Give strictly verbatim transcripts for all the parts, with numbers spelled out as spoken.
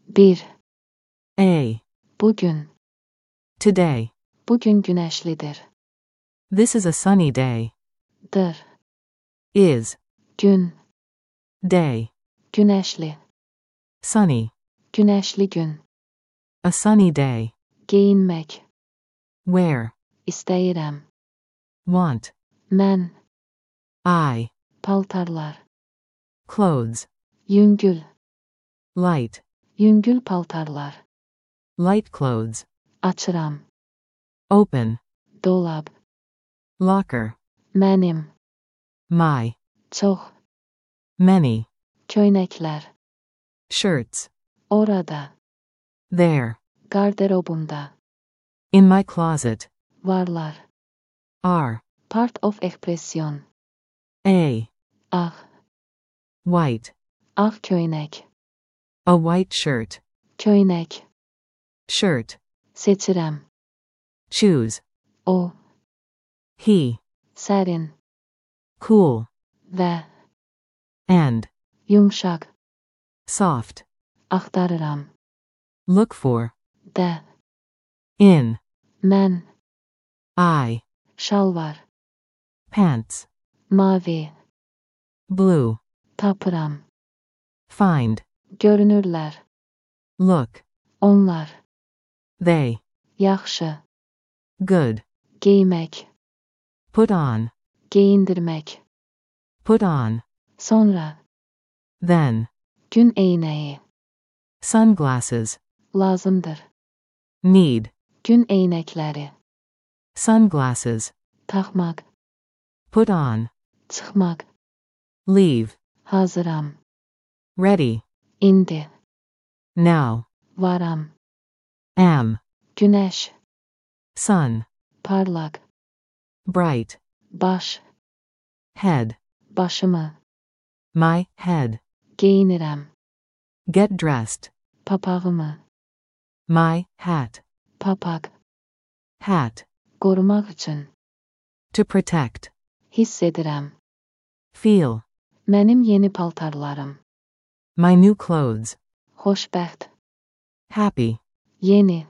Bir. A. Bugün. Today. Bugün güneşlidir. This is a sunny day. Dır. Is. Gün. Day. Güneşli. Sunny. Güneşli gün. A sunny day. Giyinmek. Wear. İstəyirəm. Want. Mən. I. Paltarlar. Clothes. Yüngül. Light. Yüngül paltarlar. Light clothes. Açıram. Open. Dolab. Locker. Mənim. My. Çox. Many. Köynəklər. Shirts. Orada. There. Garderobumda. In my closet. Varlar. Are. Part of expression. A. Ağ. White. Ağ köynək. A white shirt. Köynək. Shirt. Seçirəm. Choose. O. He. Sərin. Cool. Və. And. Yumşaq. Soft. Axtarıram. Look for. Də. In. Mən. I. Şalvar. Pants. Mavi. Blue. Tapıram. Find. Görünürlər. Look. Onlar. They. Yaxşı. Good. Giymək. Put on. Geyindirmək. Put on. Sonra. Then. Gün eynəyi. Sunglasses. Lazımdır. Need. Gün eynəkləri. Sunglasses. Taxmaq. Put on. Çıxmaq. Leave. Hazıram. Ready. İndi. Now. Varam. Am. Güneş. Sun. Parlaq. Bright. Baş. Head. Başımı. My head. Geyinirəm. Get dressed. Papağımı. My hat. Papaq. Hat. Qorumaq üçün. To protect. Hiss edirəm. Feel. Mənim yeni paltarlarım. My new clothes. Xoşbəxt. Happy. Yeni.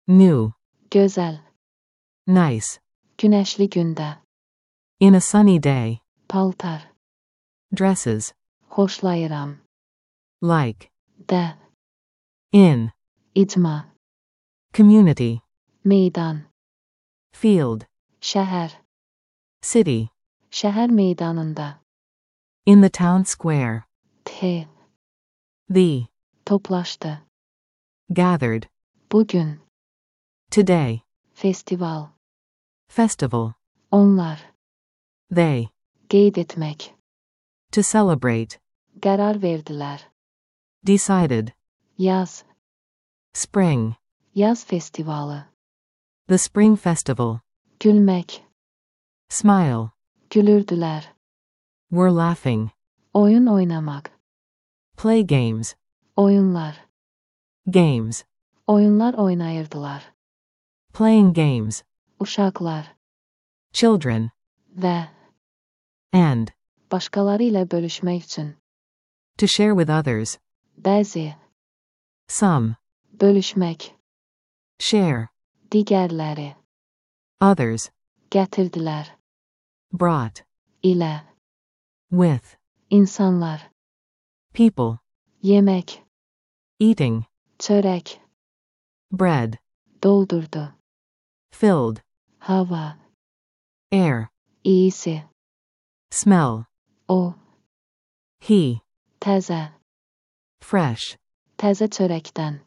New. Gözəl. Nice. Güneşli gündə. In a sunny day. Paltar. Dresses. Xoşlayıram. Like. Də. In. İcma. Community. Meydan. Field. Şəhər. City. Şəhər meydanında. In the town square. T. The. Toplaşdı. Gathered. Bugün. Today. Festival. Festival. Onlar. They. Qeyd etmək. To celebrate. Qərar verdilər. Decided. Yaz. Spring. Yaz festivalı. The spring festival. Gülmək. Smile. Gülürdülər. Were laughing. Oyun oynamaq. Play games. Oyunlar. Games. Oyunlar oynayırdılar. Playing games. Uşaqlar. Children. Və. And. Başqaları ilə bölüşmək üçün. To share with others. Bəzi. Some. Bölüşmək. Share. Digərləri. Others. Gətirdilər. Brought. İlə. With. İnsanlar. People. Yemək. Eating. Çörək. Bread. Doldurdu. Filled. Hava. Air. İyisi. Smell. O. He. Təzə. Fresh. Təzə çörəkdən.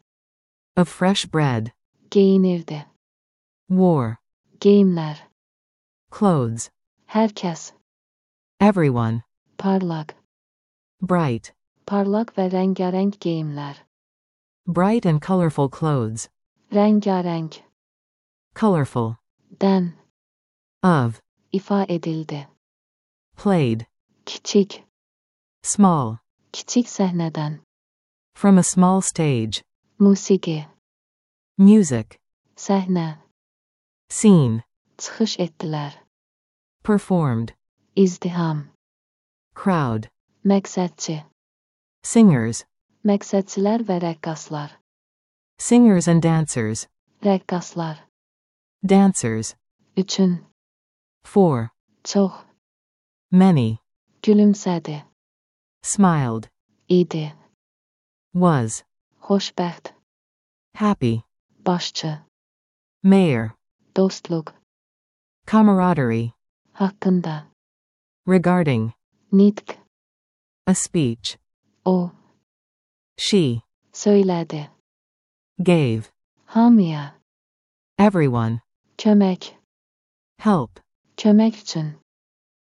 Of fresh bread. Geyinirdi. Wore. Geyimlər. Clothes. Hər kəs. Everyone. Parlaq. Bright. Parlaq və rəngarəng geyimlər. Bright and colorful clothes. Rəngarəng. Colorful. Dən. Of. İfa edildi. Played. Kiçik. Small. Kiçik səhnədən. From a small stage. Musiqi. Music. Səhnə. Scene. Çıxış etdilər. Performed. İzdiham. Crowd. Məqsədçi. Singers. Məqsədçilər və rəqqaslar. Singers and dancers. Rəqqaslar. Dancers. Üçün. For. Çox. Many. Gülümsədi. Smiled. İdi. Was. Xoşbəxt. Happy. Başçı. Mayor. Dostluq. Camaraderie. Haqqında. Regarding. Nitq. A speech. O. She. Söylədi. Gave. Hamıya. Everyone. Kömək. Help. Kömək üçün.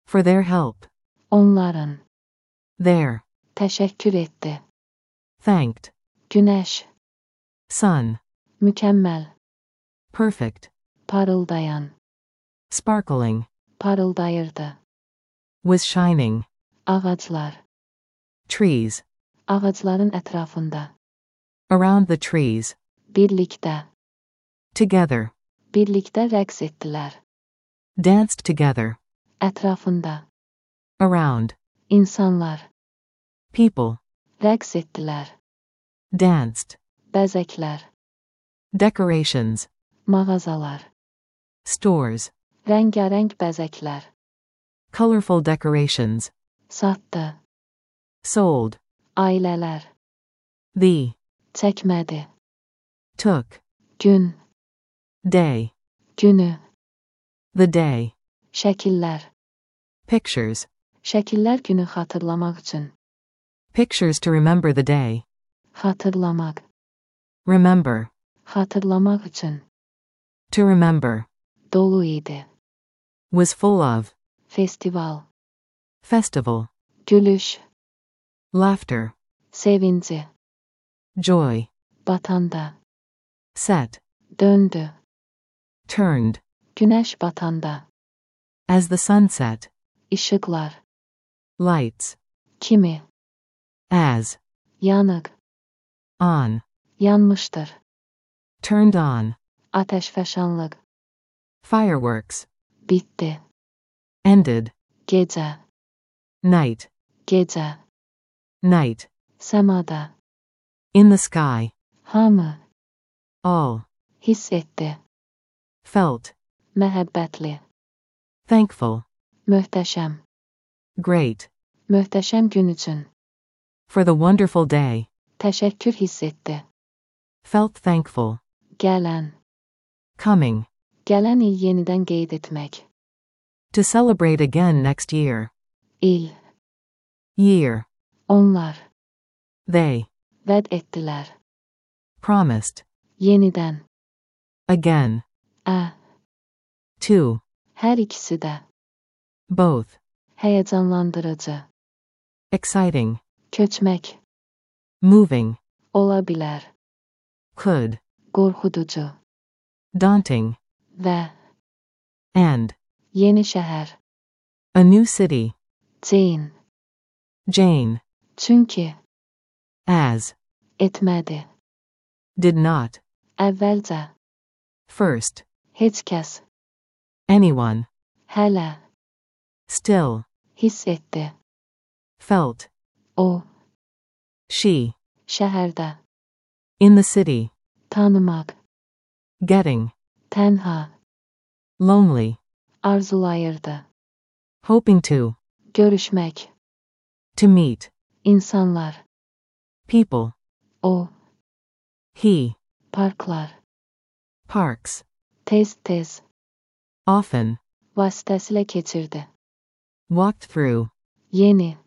For their help. Onların. Their. Təşəkkür etdi. Thanked. Günəş. Sun. Mükəmməl. Perfect. Parıldayan. Sparkling. Parıldayırdı. Was shining. Ağaclar. Trees. Ağacların ətrafında. Around the trees. Birlikdə. Together. Birlikdə rəqs etdilər. Danced together. Ətrafında. Around. İnsanlar. People. Rəqs etdilər. Danced. Bəzəklər. Decorations. Mağazalar. Stores. Rəngarəng bəzəklər. Colorful decorations. Satdı. Sold. Ailələr. The. Çəkmədi. Took. Gün. Day. Günü. The day. Şəkillər. Pictures. Şəkillər günü xatırlamaq üçün. Pictures to remember the day. Xatırlamaq. Remember. Xatırlamaq üçün. To remember. Dolu idi. Was full of. Festival. Festival. Gülüş. Laughter. Sevinci. Joy. Batanda. Set. Döndü. Turned. Güneş batanda. As the sun set. İşıklar. Lights. Kimi. As. Yanık. On. Yanmıştır. Turned on. Ateşfəşanlıq. Fireworks. Bitti. Ended. Gecə. Night. Gecə. Night. Səmada. In the sky. Hamı. All. Hiss etdi. Felt. Məhəbbətli. Thankful. Möhtəşəm. Great. Möhtəşəm gün üçün. For the wonderful day. Təşəkkür hiss etdi. Felt thankful. Gələn. Coming. Gələn il yenidən qeyd etmək. To celebrate again next year. İl. Year. Onlar. They. Vəd etdilər. Promised. Yenidən. Again. Ə. Two. Hər ikisi də. Both. Həyəcanlandırıcı. Exciting. Köçmək. Moving. Ola bilər. Could. Qorxuducu. Daunting. Və. And. Yeni şəhər. A new city. Jane. Jane. Çünki. As. Etmədi. Did not. Əvvəlcə. First. Heç kəs. Anyone. Hələ. Still. Hiss etdi. Felt. O. She. Şəhərdə. In the city. Tanımaq. Getting. Tənha. Lonely. Arzulayırdı. Hoping to. Görüşmək. To meet. İnsanlar. People. O. He. Parklar. Parks. Tez-tez. Often. Vasitəsilə keçirdi. Walked through. Yeni.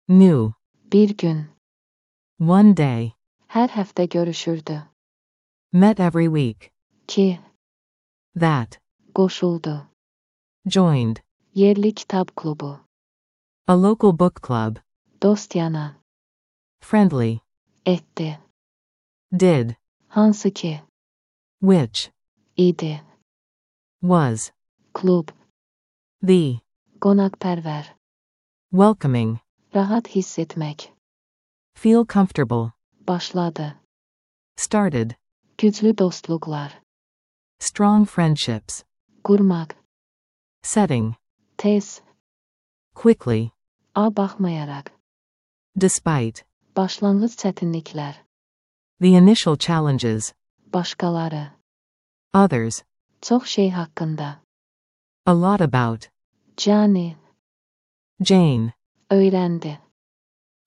New. Bir gün. One day. Hər həftə görüşürdü. Met every week. Ki. That. Qoşuldu. Joined. Yerli kitab klubu. A local book club. Dost yana. Friendly. Etdi. Did. Hansı ki. Which. İdi. Was. Klub. The. Qonaqpərvər. Welcoming. Rahat hiss etmək. Feel comfortable. Başladı. Started. Güclü dostluqlar. Strong friendships. Qurmaq. Setting. Tez. Quickly. A baxmayaraq. Despite. Başlanğıc çətinliklər. The initial challenges. Başqaları. Others. Çox şey haqqında. A lot about. Jane. Jane. Öyrəndi.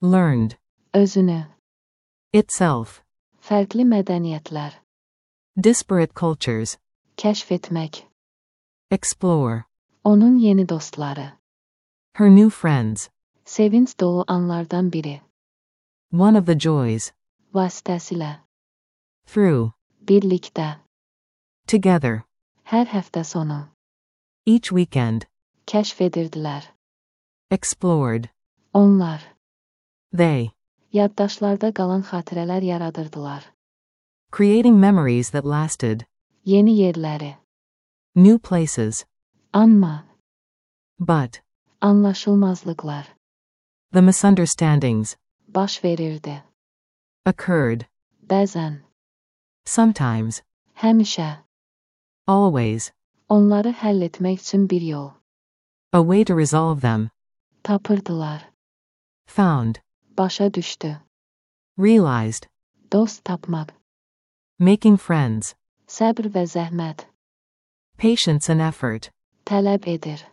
Learned. Özünü. Itself. Fərqli mədəniyyətlər. Disparate cultures. Kəşf etmək. Explore. Onun yeni dostları. Her new friends. Sevinç dolu anlardan biri. One of the joys. Vasitəsilə. Through. Birlikdə. Together. Hər həftə sonu. Each weekend. Kəşf edirdilər. Explored. Onlar. They. Yaddaşlarda qalan xatirələr yaradırdılar. Creating memories that lasted. Yeni yerləri. New places. Amma. But. Anlaşılmazlıqlar. The misunderstandings. Baş verirdi. Occurred. Bəzən. Sometimes. Həmişə. Always. Onları həll etmək üçün bir yol. A way to resolve them. Tapırdılar. Found. Başa düşdü. Realized. Dost tapmaq. Making friends. Səbr və zəhmət. Patience and effort. Tələb edir.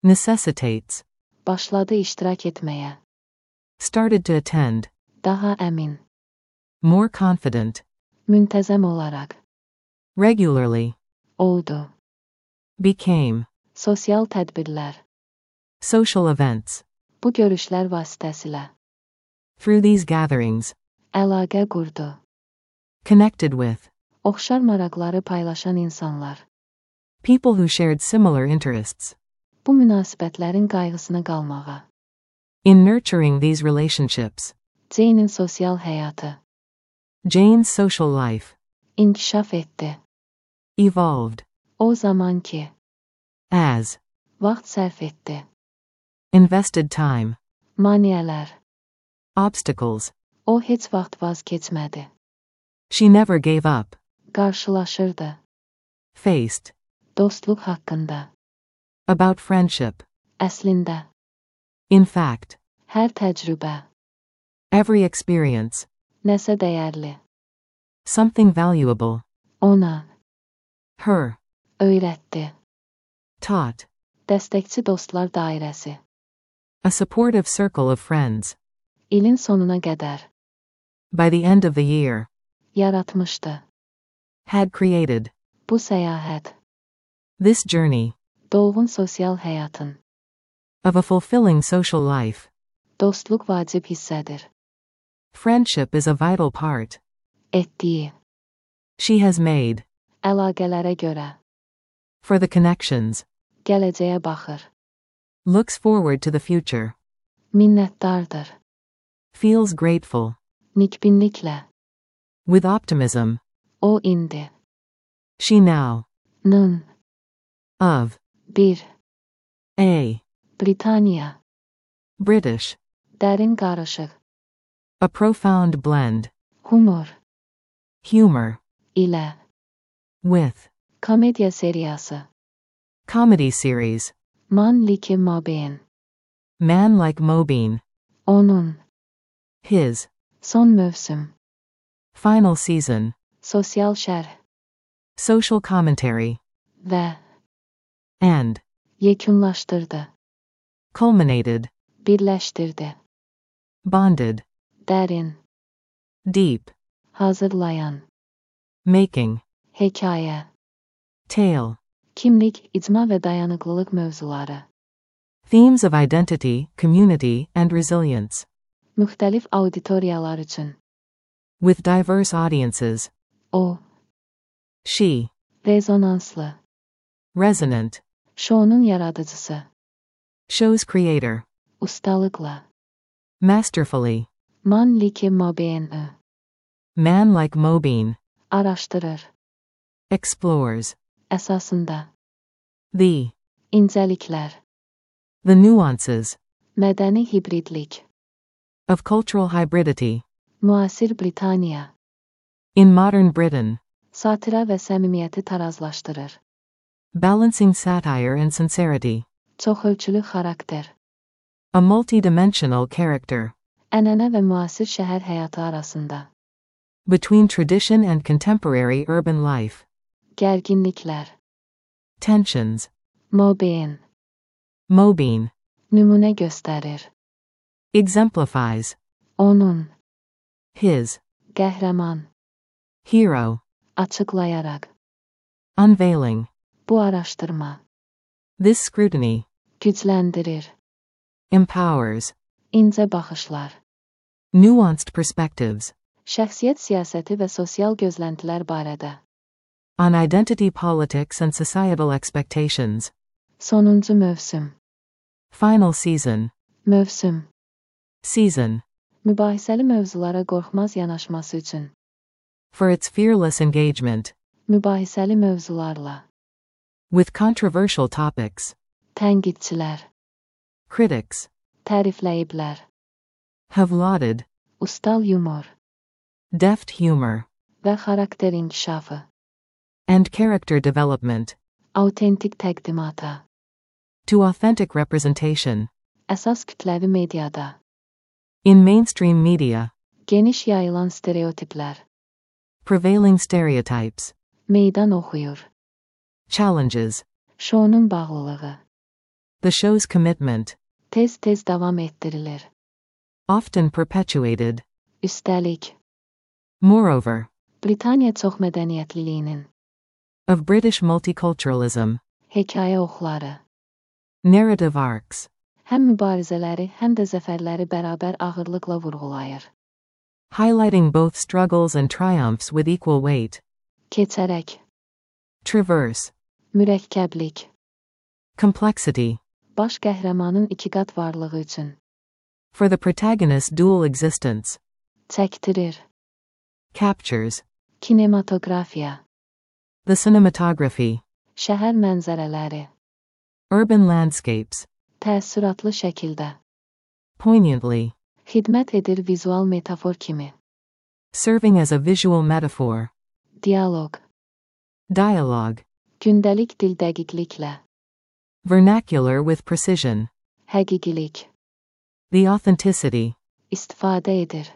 Necessitates. Başladı iştirak etməyə. Started to attend. Daha əmin. More confident. Müntəzəm olaraq. Regularly. Oldu. Became. Sosial tədbirlər. Social events. Bu görüşlər vasitəsilə. Through these gatherings. Əlaqə qurdu. Connected with. Oxşar maraqları paylaşan insanlar. People who shared similar interests. Bu münasibətlərin qayğısına qalmağa. In nurturing these relationships. Jane'in sosial həyatı. Jane's social life. İnkişaf etdi. Evolved. O zaman ki. As. Vaxt sərf etdi. Invested time. Maneələr. Obstacles. O heç vaxt vaz keçmədi. She never gave up. Qarşılaşırdı. Faced. Dostluq haqqında. About friendship. Əslində. In fact. Hər təcrübə. Every experience. Nəsə dəyərli. Something valuable. Ona. Her. Öyrətdi. Taught. Dəstəkçi dostlar dairəsi. A supportive circle of friends. İlin sonuna qədər. By the end of the year. Yaratmışdı. Had created. Bu səyahət. This journey. Dolğun sosial həyatın. Of a fulfilling social life. Dostluq vacib hissədir. Friendship is a vital part. Etdiyi. She has made. Əlaqələrə görə. For the connections. Gələcəyə baxır. Looks forward to the future. Minnətdardır. Feels grateful. Nikbinliklə. With optimism. O indi. She now. Nın. Of. Bir. A. Britaniya. British. Dərin qarışıq. A profound blend. Humor. Humor. ilə. With. Komediya seriyası. Comedy series. Man like Mobeen. Man Like Mobeen. Onun. His. Son mövsüm. Final season. Sosial şərh. Social commentary. Və. And. Yekunlaşdırdı. Culminated. Birləşdirdi. Bonded. Dərin. Deep. Hazırlayan. Making. Hekayə. Tale. Kimlik, icma və dayanıqlılıq mövzuları. Themes of identity, community, and resilience. Müxtəlif auditoriyalar üçün. With diverse audiences. O. She. Rezonanslı. Resonant. Şounun yaradıcısı. Show's creator. Ustalıqla. Masterfully. Man like Mobeen. Man Like Mobeen. Araşdırır. Explores. Əsasında. The. İncəliklər. The nuances. Mədəni hibridlik. Of cultural hybridity. Müasir Britaniya. In modern Britain. Satira və səmimiyyəti tarazlaşdırır. Balancing satire and sincerity. Çoxölçülü xarakter. A multi-dimensional character. Ənənə və müasir şəhər həyatı arasında. Between tradition and contemporary urban life. Gərginliklər. Tensions. Mobein. Mobein. Nümunə göstərir. Exemplifies. Onun. His. Qəhrəman. Hero. Açıqlayaraq. Unveiling. Bu araşdırma. This scrutiny. Gücləndirir. Empowers. İncə baxışlar. Nuanced perspectives. Şəxsiyyət siyasəti və sosial gözləntilər barədə. On identity politics and societal expectations. Sonuncu mövsüm. Final season. Mövsüm. Season. Mübahisəli mövzulara qorxmaz yanaşması üçün. For its fearless engagement. Mübahisəli mövzularla. With controversial topics. Tənqidçilər. Critics. Tərifləyiblər. Have lauded. Ustal yumor. Deft humor. Və xarakter inkişafı. And character development. Autentik təqdimata. To authentic representation. Əsas kütləvi mediada. In mainstream media. Geniş yayılan stereotiplər. Prevailing stereotypes. Meydan oxuyur. Challenges. Şounun bağlılığı. The show's commitment. Tez-tez davam etdirilir. Often perpetuated. Üstəlik. Moreover. Britaniya çoxmədəniyyətliliyinin. Of British multiculturalism. Hekayə oxları. Narrative arcs. Həm mübarizələri, həm də zəfərləri bərabər ağırlıqla vurğulayır. Highlighting both struggles and triumphs with equal weight. Keçərək. Traverse. Mürəkkəblik. Complexity. Baş qəhrəmanın iki qat varlığı üçün. For the protagonist's dual existence. Çəkdirir. Captures. Kinematografiya. The cinematography. Şəhər mənzərələri. Urban landscapes. Təəssüratlı şəkildə. Poignantly. Xidmət edir vizual metafor kimi. Serving as a visual metaphor. Dialoq. Dialogue. Gündəlik dil dəqiqliklə. Vernacular with precision. Həqiqilik. The authenticity. İstifadə edir.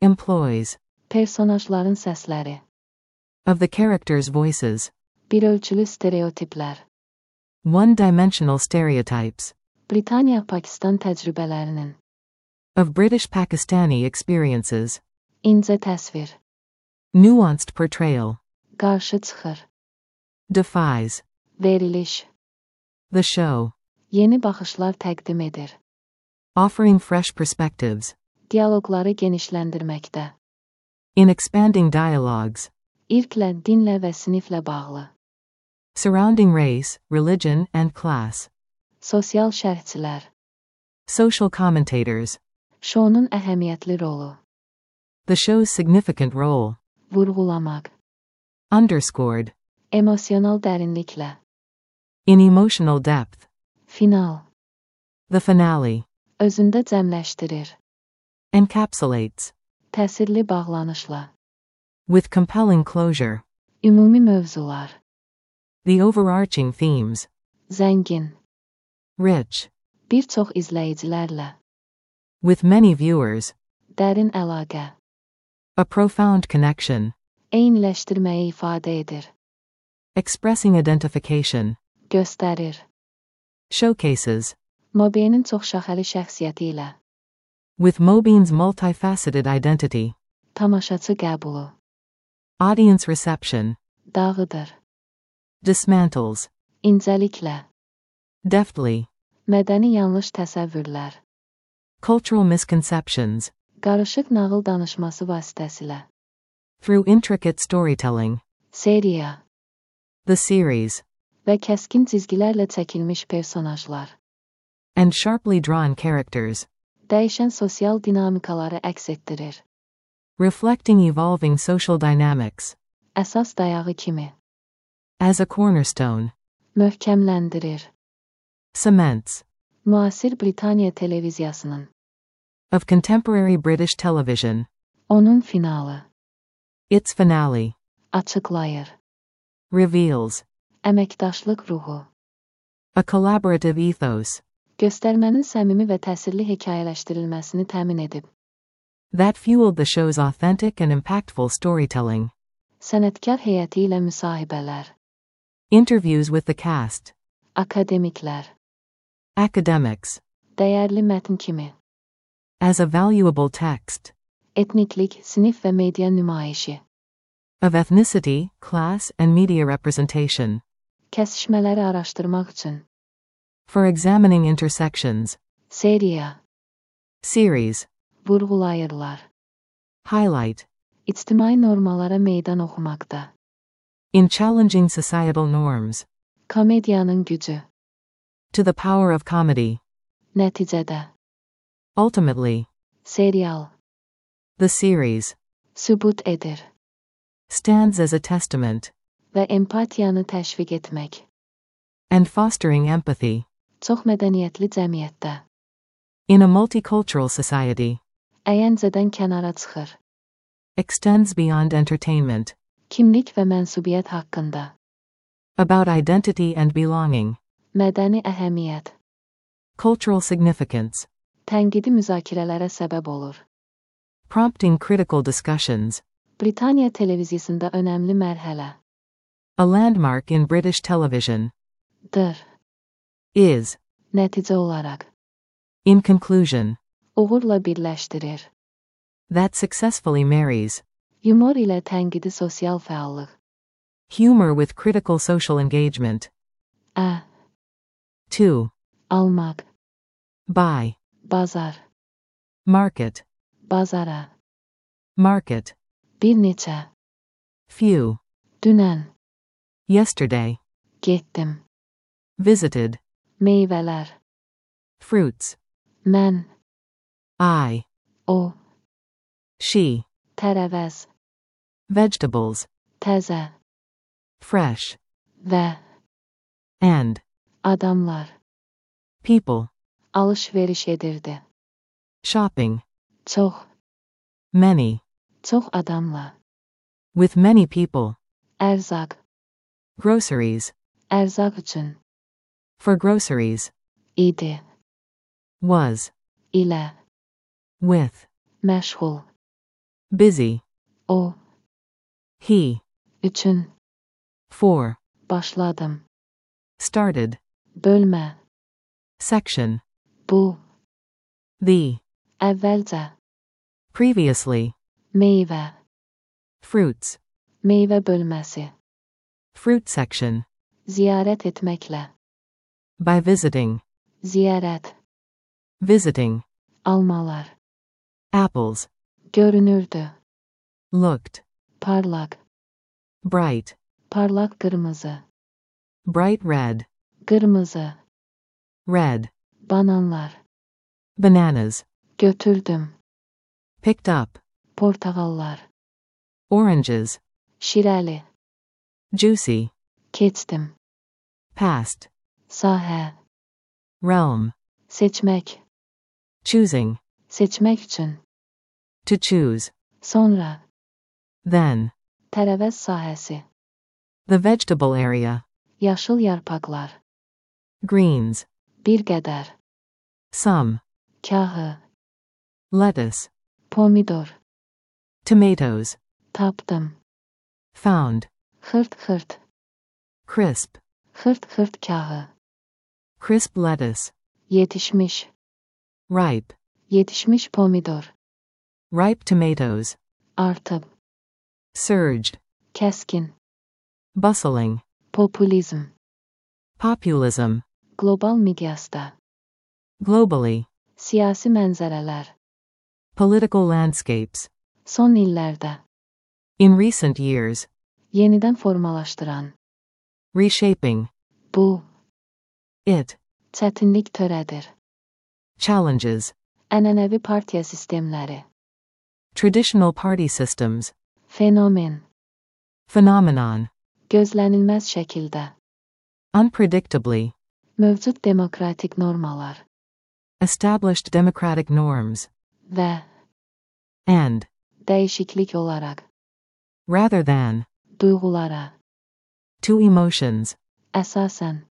Employs. Personajların səsləri. Of the characters' voices. Bir ölçülü stereotiplər. One-dimensional stereotypes. Britaniya-Pakistan təcrübələrinin. Of British-Pakistani experiences. İncə təsvir. Nuanced portrayal. Qarşı çıxır. Defies. Veriliş. The show. Yeni baxışlar təqdim edir. Offering fresh perspectives. Dialoqları genişləndirməkdə. In expanding dialogues. İrqlə, dinlə və siniflə bağlı. Surrounding race, religion, and class. Sosial şərhçilər. Social commentators. Şounun əhəmiyyətli rolu. The show's significant role. Vurğulamaq. Underscored. Emosional dərinliklə. In emotional depth. Final. The finale. Özündə cəmləşdirir. Encapsulates. Təsirli bağlanışla. With compelling closure. Ümumi mövzular. The overarching themes. Zəngin. Rich. Bir çox izləyicilərlə. With many viewers. Dərin əlaqə. A profound connection. Eyniləşdirməyi ifadə edir. Expressing identification. Göstərir. Showcases. Mobeinin çoxşaxəli şəxsiyyəti ilə. With Mobean's multifaceted identity. Tamaşaçı qəbulu. Audience reception. Dağıdır. Dismantles. İncəliklə. Deftly. Mədəni yanlış təsəvvürlər. Cultural misconceptions. Qarışıq nağıl danışması vasitəsilə. Through intricate storytelling. Seriya. The series. Və kəskin cizgilərlə çəkilmiş personajlar. And sharply drawn characters. Dəyişən sosial dinamikaları əks etdirir. Reflecting evolving social dynamics. Əsas dayağı kimi. As a cornerstone. Möhkəmləndirir. Cements. Müasir Britaniya televiziyasının. Of contemporary British television. Onun finalı. Its finale. Açıqlayır. Reveals. Əməkdaşlıq ruhu. A collaborative ethos. göstərmənin səmimi və təsirli hekayələşdirilməsini təmin edib. That fueled the show's authentic and impactful storytelling. Sənətkar heyəti ilə müsahibələr, Interviews with the cast. akademiklər, Academics. dəyərli mətn kimi, As a valuable text. etniklik, sinif və media nümayişi, Of ethnicity, class, and media representation. kəsişmələri araşdırmaq üçün, For examining intersections. seriya, Series. vurğulayırlar, Highlight. ictimai normalara meydan oxumaqda, In challenging societal norms. komediyanın gücü, To the power of comedy. nəticədə, Ultimately. serial, The series. sübut edir Stands as a testament. və empatiyanı təşviq etmək, And fostering empathy. çox mədəniyyətli cəmiyyətdə, In a multicultural society. əyəncədən kənara çıxır, Extends beyond entertainment. kimlik və mənsubiyyət haqqında, About identity and belonging. mədəni əhəmiyyət, Cultural significance. tənqidi müzakirələrə səbəb olur. Prompting critical discussions. Britaniya televiziyasında önəmli mərhələ, A landmark in British television. dır, Is. nəticə olaraq, In conclusion. uğurla birləşdirir, That successfully marries. yumor ilə tənqidi sosial fəallıq, Humor with critical social engagement. ə, To. almaq, Buy. bazar, Market. bazara, Market. bir neçə, Few. dünən, Yesterday. getdim, Visited. meyvələr, Fruits. mən, I. o, She. tərəvəz, Vegetables. təzə, Fresh. və, And. adamlar, People. alış-veriş edirdi, Shopping. çox, Many. çox adamla, With many people. ərzaq, Groceries. ərzaq üçün, For groceries. idi, Was. ilə, With. məşğul, Busy. o, He. üçün, For. başladım, Started. bölmə, Section. bu, The. əvvəlcə, Previously. meyvə, Fruits. meyvə bölməsi, Fruit section. ziyarət etməklə, By visiting. ziyarət, Visiting. almalar, Apples. görünürdü, Looked. parlaq, Bright. parlaq qırmızı, Bright red. qırmızı, Red. bananlar, Bananas. götürdüm, Picked up. portağallar, Oranges. şirəli, Juicy. keçdim, Past. sahə, Realm. seçmək, Choosing. seçmək üçün, To choose. sonra, Then. tərəvəz sahəsi, The vegetable area. yaşıl yarpaqlar, Greens. bir qədər, Some. kahı, Lettuce. pomidor, Tomatoes. tapdım, Found. xırt-xırt, Crisp. xırt-xırt kahı, Crisp lettuce. yetişmiş, Ripe. yetişmiş pomidor, Ripe tomatoes. artıb, Surged. kəskin, Bustling. populizm, Populism. qlobal miqyasda, Globally. siyasi mənzərələr, Political landscapes. son illərdə, In recent years. yenidən formalaşdıran, Reshaping. bu, It. çətinlik törədir, Challenges. ənənəvi partiya sistemləri, Traditional party systems. fenomen, Phenomenon. gözlənilməz şəkildə, Unpredictably. mövcud demokratik normalar Established democratic norms. və And. dəyişiklik olaraq, Rather than. duyğulara, To emotions. əsasən,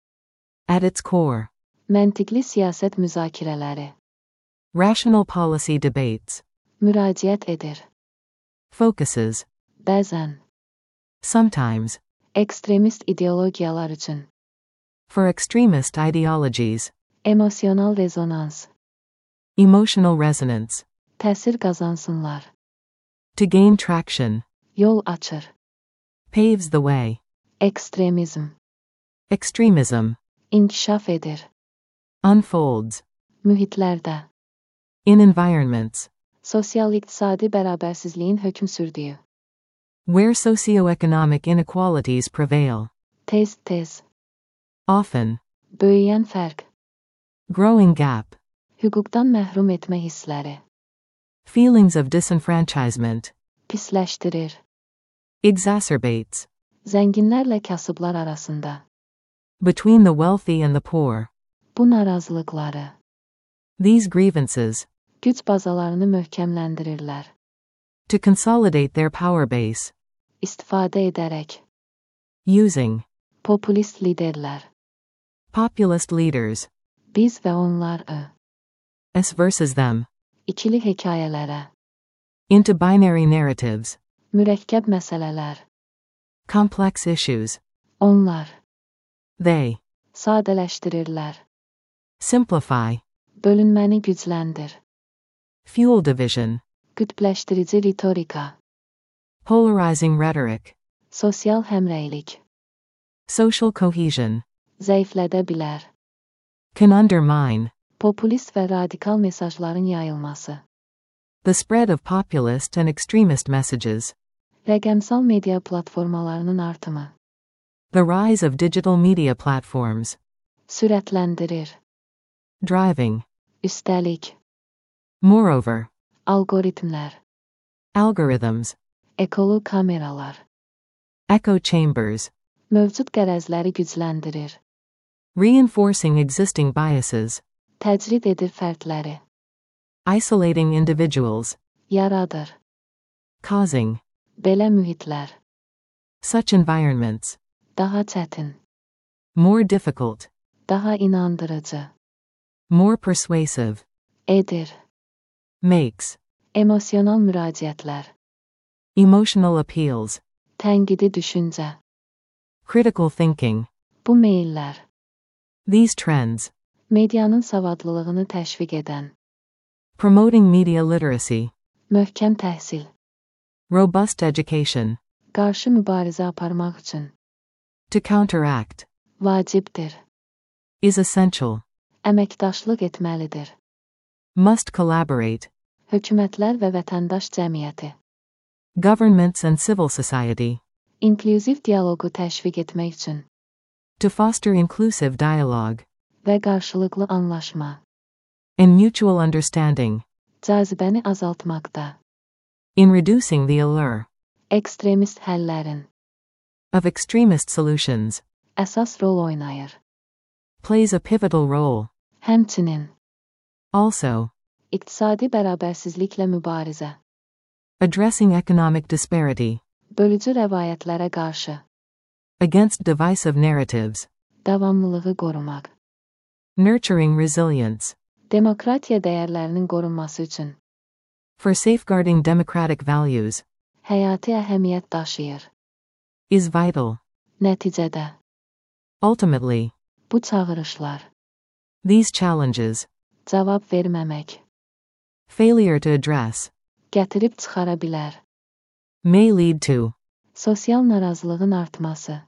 At its core. Məntiqli siyaset müzakirələri. Rational policy debates. Müraciət edir. Focuses. Bəzən. Sometimes. Ekstremist ideologiyalar üçün. For extremist ideologies. Emosyonal rezonans. Emotional resonance. Təsir qazansınlar. To gain traction. Yol açır. Paves the way. Ekstremizm. Extremism. İnkişaf edir. Unfolds. Mühitlərdə. In environments. Sosial-iqtisadi bərabərsizliyin hökm sürdüyü. Where socioeconomic inequalities prevail. Tez-tez. Often. Böyüyən fərq. Growing gap. Hüquqdan məhrum etmə hissləri. Feelings of disenfranchisement. Pisləşdirir. Exacerbates. Zənginlərlə kasıblar arasında. Between the wealthy and the poor. Bu narazılıqları. These grievances. Güc bazalarını möhkəmləndirirlər. To consolidate their power base. İstifadə edərək. Using. Populist liderlər. Populist leaders. Biz və onlar ı. Us versus them. İkili hekayələrə. Into binary narratives. Mürəkkəb məsələlər. Complex issues. Onlar. They. Sadələşdirirlər. Simplify. Bölünməni gücləndir. Fuel division. Qütbləşdirici ritorika. Polarizing rhetoric. Sosial həmrəylik. Social cohesion. Zəiflədə bilər. Can undermine. Populist və radikal mesajların yayılması. The spread of populist and extremist messages. Rəqəmsal media platformalarının artımı. The rise of digital media platforms. Sürətləndirir. Driving. Üstəlik. Moreover. Algoritmlər. Algorithms. Ekolu kameralar. Echo chambers. Mövcud qərəzləri gücləndirir. Reinforcing existing biases. Təcrid edir fərdləri. Isolating individuals. Yaradır. Causing. Belə mühitlər. Such environments. Daha çətin. More difficult. Daha inandırıcı. More persuasive. Edir. Makes. Emosyonal müraciətlər. Emotional appeals. Tənqidi düşüncə. Critical thinking. Bu meyillər. These trends. Medianın savadlılığını təşviq edən. Promoting media literacy. Möhkəm təhsil. Robust education. Qarşı mübarizə aparmaq üçün. To counteract. Vacibdir. Is essential. Əməkdaşlıq etməlidir. Must collaborate. Hökumətlər və vətəndaş cəmiyyəti. Governments and civil society. İnklüziv dialoqu təşviq etmək üçün. To foster inclusive dialogue. Və qarşılıqlı anlaşma. And mutual understanding. Cazibəni azaltmaqda. In reducing the allure. Ekstremist həllərin. Of extremist solutions. Əsas rol oynayır. Plays a pivotal role. Həmçinin. Also. İqtisadi bərabərsizliklə mübarizə. Addressing economic disparity. Bölücü rəvayətlərə qarşı. Against divisive narratives. Davamlılığı qorumaq. Nurturing resilience. Demokratiya dəyərlərinin qorunması üçün. For safeguarding democratic values. Həyati əhəmiyyət daşıyır. Is vital. Nəticədə. Ultimately. Bu çağırışlar. These challenges. Cavab verməmək. Failure to address. Gətirib çıxara bilər. May lead to. Sosial narazılığın artması.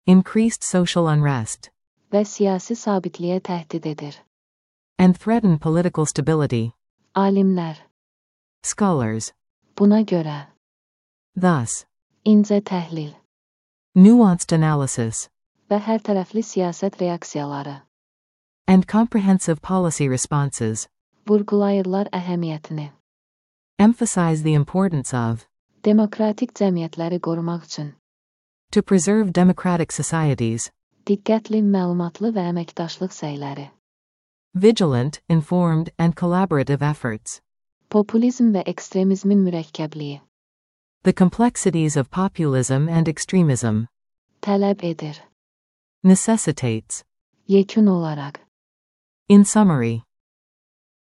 Increased social unrest. Və siyasi sabitliyə təhdid edir. And threaten political stability. Alimlər. Scholars. Buna görə. Thus. İncə təhlil. Nuanced analysis. Və hərtərəfli siyasət reaksiyaları. And comprehensive policy responses. Vurğulayırlar əhəmiyyətini. Emphasize the importance of. Demokratik cəmiyyətləri qorumaq üçün. To preserve democratic societies. Diqqətli, məlumatlı və əməkdaşlıq səyləri. Vigilant, informed, and collaborative efforts. Populizm və ekstremizmin mürəkkəbliyi. The complexities of populism and extremism. Tələb edir. Necessitates. Yekun olaraq. In summary,